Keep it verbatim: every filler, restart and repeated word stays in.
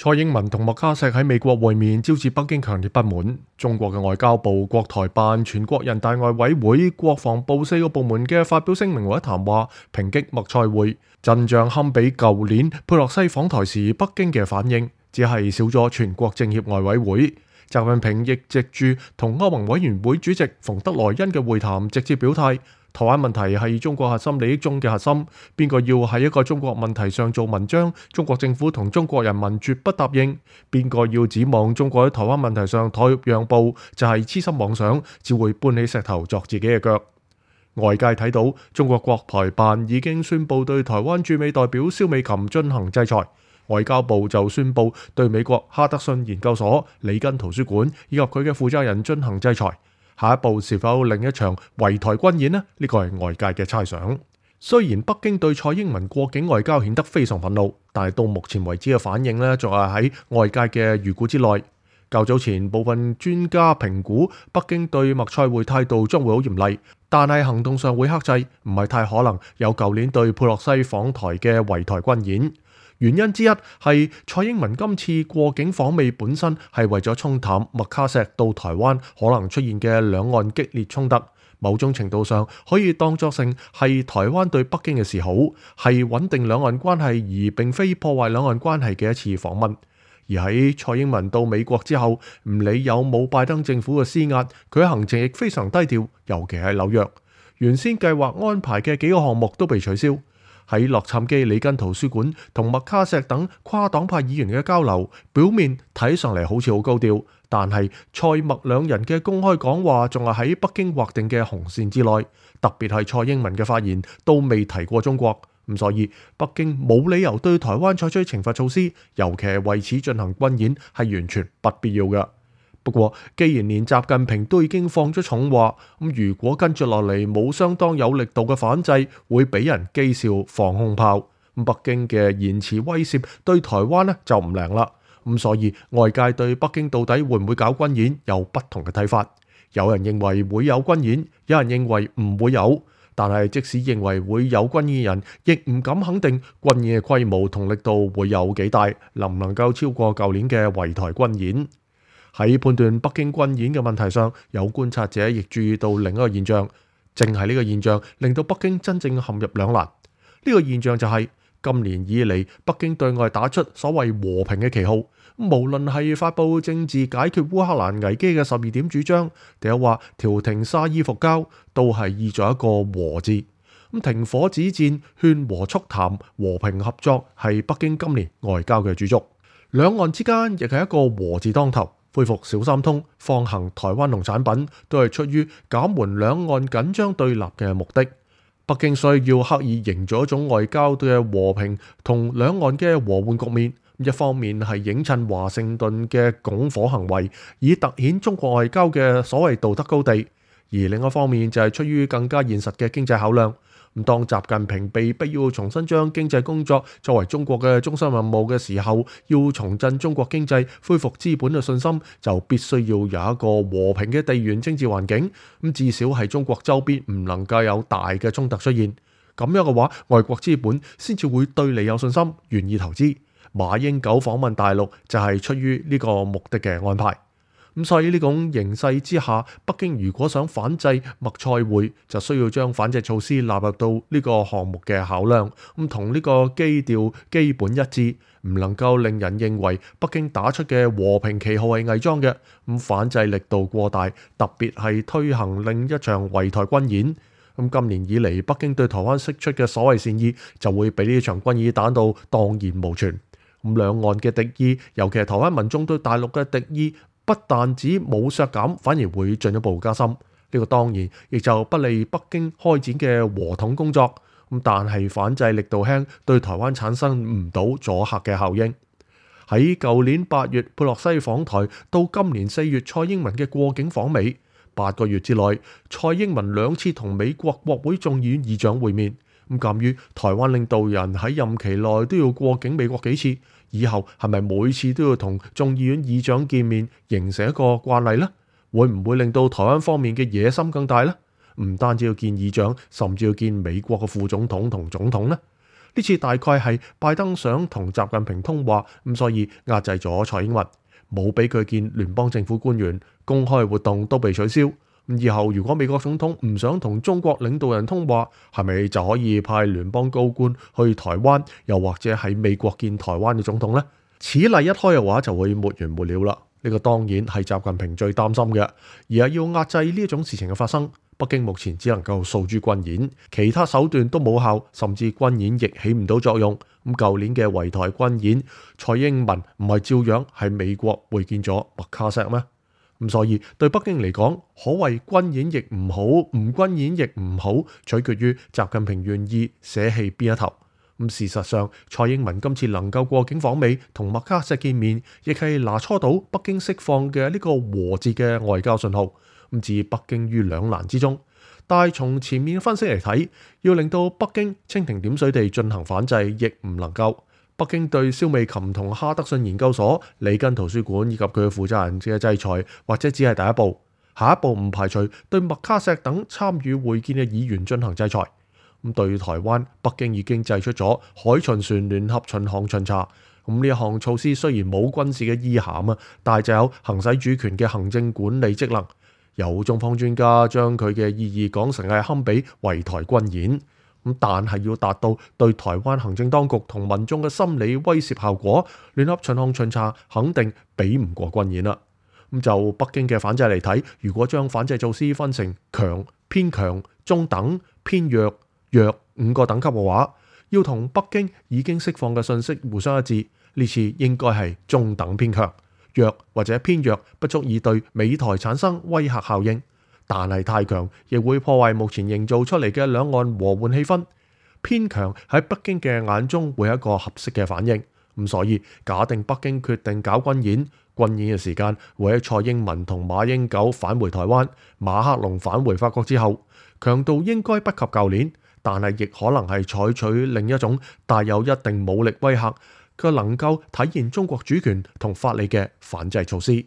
蔡英文同麥卡錫喺美國會面，招致北京強烈不滿。中國嘅外交部、國台辦、全國人大外委會、國防部四個部門嘅發表聲明或者談話，抨擊麥蔡會，陣仗堪比舊年佩洛西訪台時北京嘅反應，只係少咗全國政協外委會。習近平亦藉住同歐盟委員會主席馮德萊恩嘅會談，直接表態。台灣問題係中國核心利益中嘅核心，邊個要喺一個中國問題上做文章，中國政府同中國人民絕不答應。邊個要指望中國喺台灣問題上妥協讓步，就係痴心妄想，只會搬起石頭鑿自己嘅腳。外界睇到中國國台辦已經宣布對台灣駐美代表蕭美琴進行制裁，外交部就宣布對美國哈德遜研究所、里根圖書館以及佢嘅負責人進行制裁。下一步是否另一場圍台軍演呢？呢個係外界嘅猜想。雖然北京對蔡英文過境外交顯得非常憤怒，但係到目前為止嘅反應呢，仲係喺外界嘅預估之內。較早前部分專家評估北京對麥蔡會態度將會好嚴厲，但係行動上會克制，唔係太可能有舊年對佩洛西訪台嘅圍台軍演。原因之一係蔡英文今次過境訪美本身係為咗沖淡麥卡錫到台灣可能出現嘅兩岸激烈衝突，某種程度上可以當作成係台灣對北京嘅示好，係穩定兩岸關係而並非破壞兩岸關係嘅一次訪問。而喺蔡英文到美國之後，唔理有冇拜登政府嘅施壓，佢嘅行程亦非常低調，尤其係紐約，原先計劃安排嘅幾個項目都被取消。喺洛杉磯里根圖書館同麥卡錫等跨黨派議員嘅交流，表面睇上嚟好似好高調，但係蔡麥兩人嘅公開講話仲係喺北京劃定嘅紅線之內，特別係蔡英文嘅發言都未提過中國，咁所以北京冇理由對台灣採取懲罰措施，尤其係為此進行軍演，係完全不必要嘅。不過，既然連習近平都已經放咗重話，咁如果跟住落嚟冇相當有力度嘅反制，會俾人譏笑放空炮。咁北京嘅言辭威懾對台灣呢就唔靈啦。咁所以外界對北京到底會唔會搞軍演有不同嘅睇法。有人認為會有軍演，有人認為唔會有。但係即使認為會有軍演嘅人，亦唔敢肯定軍演嘅規模同力度會有幾大，能唔能夠超過舊年嘅圍台軍演。喺判斷北京軍演嘅問題上，有觀察者亦注意到另一個現象，正係呢個現象令到北京真正陷入兩難。呢個現象就係今年以嚟，北京對外打出所謂和平嘅旗號，無論係發佈政治解決烏克蘭危機嘅十二點主張，定係話調停沙伊復交，都係意在一個和字。咁停火止戰、勸和促談、和平合作係北京今年外交嘅主軸。兩岸之間亦係一個和字當頭。恢復小三通、放行台灣農產品，都係出於減緩兩岸緊張對立嘅目的。北京需要刻意營造一種外交嘅和平同兩岸嘅和緩局面。一方面係映襯華盛頓嘅拱火行為，以凸顯中國外交嘅所謂道德高地；而另一方面就係出於更加現實嘅經濟考量。咁當習近平被逼要重新將經濟工作作為中國嘅中心任務嘅時候，要重振中國經濟、恢復資本嘅信心，就必須要有一個和平嘅地緣政治環境。咁至少係中國周邊唔能夠有大嘅衝突出現。咁樣嘅話，外國資本先至會對你有信心，願意投資。馬英九訪問大陸就係出於呢個目的嘅安排。咁所以呢種形勢之下，北京如果想反制麥蔡會，就需要將反制措施納入到呢個項目嘅考量，咁同呢個基調基本一致，唔能夠令人認為北京打出嘅和平旗號係偽裝嘅，咁反制力度過大，特別係推行另一場圍台軍演。咁今年以嚟，北京對台灣釋出嘅所謂善意，就會俾呢場軍演打到蕩然無存。咁兩岸嘅敵意，尤其係台灣民眾對大陸嘅敵意，不但止冇削減，反而會進一步加深。呢個當然亦就不利北京開展嘅和統工作。咁但係反制力度輕，對台灣產生唔到阻嚇嘅效應。喺舊年八月佩洛西訪台，到今年四月蔡英文嘅過境訪美，八個月之內，蔡英文兩次同美國國會眾議院議長會面。咁鑑於台灣領導人喺任期內都要過境美國幾次，以後係咪每次都要同眾議院議長見面，形成一個慣例呢？會唔會令到台灣方面嘅野心更大呢？唔單止要見議長，甚至要見美國嘅副總統同總統呢？呢次大概係拜登想同習近平通話，咁所以壓制咗蔡英文，冇俾佢見聯邦政府官員，公開活動都被取消。以後如果美國總統唔想同中國領導人通話，係咪就可以派聯邦高官去台灣，又或者喺美國見台灣嘅總統呢？此例一開嘅話，就會沒完沒了啦。呢個當然係習近平最擔心嘅，而係要壓制呢一種事情嘅發生。北京目前只能夠訴諸軍演，其他手段都冇效，甚至軍演亦起唔到作用。咁舊年嘅圍台軍演，蔡英文唔係照樣喺美國會見咗麥卡錫咩？咁所以對北京嚟講，可謂軍演亦唔好，唔軍演亦唔好，取決於習近平願意捨棄邊一頭。咁事實上，蔡英文今次能夠過境訪美同麥卡錫見面，亦係拿搓到北京釋放嘅呢個和字嘅外交信號，咁置北京於兩難之中。但係從前面分析嚟睇，要令到北京蜻蜓點水地進行反制，亦唔能夠。北京對蕭美琴同哈德遜研究所、里根圖書館以及佢嘅負責人嘅制裁，或者只係第一步。下一步唔排除對麥卡錫等參與會見嘅議員進行制裁。咁對台灣，北京已經祭出咗海巡船聯合巡航巡查。咁呢一項措施雖然冇軍事嘅意涵啊，但係就有行使主權嘅行政管理職能。有中方專家將佢嘅意義講成係堪比圍台軍演。咁但係要達到對台灣行政當局同民眾嘅心理威懾效果，聯合巡航巡查肯定比唔過軍演啦。咁就北京嘅反制嚟睇，如果將反制措施分成強、偏強、中等、偏弱、弱五個等級嘅話，要同北京已經釋放嘅信息互相一致，呢次應該係中等偏強，弱或者偏弱不足以對美台產生威嚇效應。但係太強亦會破壞目前營造出嚟嘅兩岸和緩氣氛，偏強喺北京嘅眼中會係一個合適嘅反應。咁所以假定北京決定搞軍演，軍演嘅時間會喺蔡英文同馬英九返回台灣，馬克龍返回法國之後，強度應該不及舊年，但係亦可能係採取另一種帶有一定武力威嚇，卻能夠體現中國主權同法理嘅反制措施。